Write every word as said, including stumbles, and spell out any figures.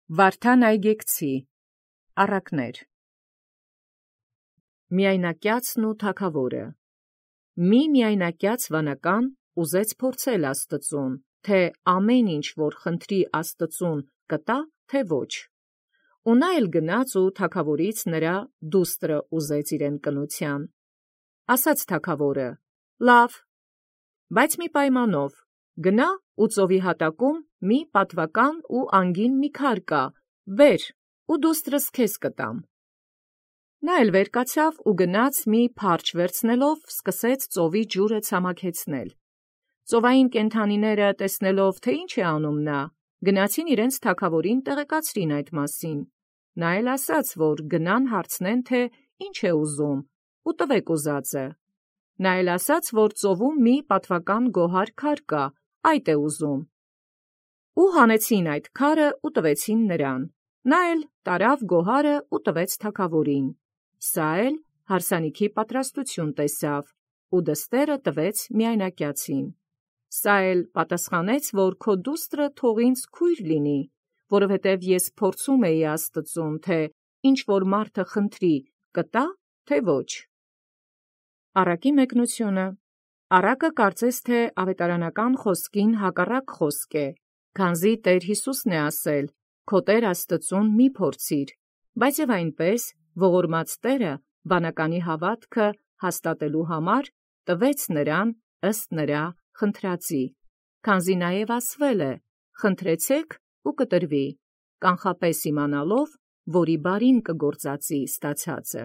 Վարդան Այգեկցի առակներ։ Միայնակյացն ու թագավորը։ Մի միայնակյաց վանական ուզեց փորձել Աստծուն, թե ամեն ինչ որ խնդրի Աստծուն կտա, թե ոչ։ Ու նա էլ գնաց ու թագավորից նրա դուստրը ուզեց իրեն կնության։ Ասաց թագավորը. լավ, բայց մի պայմանով, գնա ու ծովի հատակում մի պատվական ու անգին մի քար կա, բեր, ու դուստրս քեզ կտամ։ Նա էլ վեր կացավ ու գնաց մի փարչ վերցնելով սկսեց ծովի ջուրը ցամաքեցնել։ Ծովային կենդանիները տեսնելով, թե ինչ է անում նա, գնացին իրենց թագավորին տեղեկացրին այդ մասին։ Նա էլ ասաց, որ գնան հարցնեն, թե ինչ է ուզում, ու տվեք ուզածը։ Նա էլ ասաց, որ ծովում մի պատվական գոհար քար կա, այդ է ուզում։ Ու հանեցին այդ քարը ու տվեցին նրան։ Նա էլ տարավ գոհարը ու տվեց թագավորին։ Սա էլ հարսանիքի պատրաստություն տեսավ ու դստերը տվեց միայնակյացին։ Սա էլ պատասխանեց, որ քո դուստրը թող ինձ քույր լինի, որովհետև ես փորձում էի Աստծուն, թե ինչ որ մարդը խնդրի, կտա, թե ոչ։ Առակի մեկնությունը։ Առակը կարծես թե ավետարանական խոսքին հակառակ խոսք է, քանզի Տեր Յիսուսն է ասել. «Քո Տեր Աստծուն մի փորձիր», բայց եւ այնպես ողորմած Տերը վանականի հավատքը հաստատելու համար տվեց նրան ըստ նրա խնդրածի, քանզի նաեւ ասվել է. «Խնդրեցեք ու կտրվի», կանխապես իմանալով, որի բարին կգործածի ստացածը։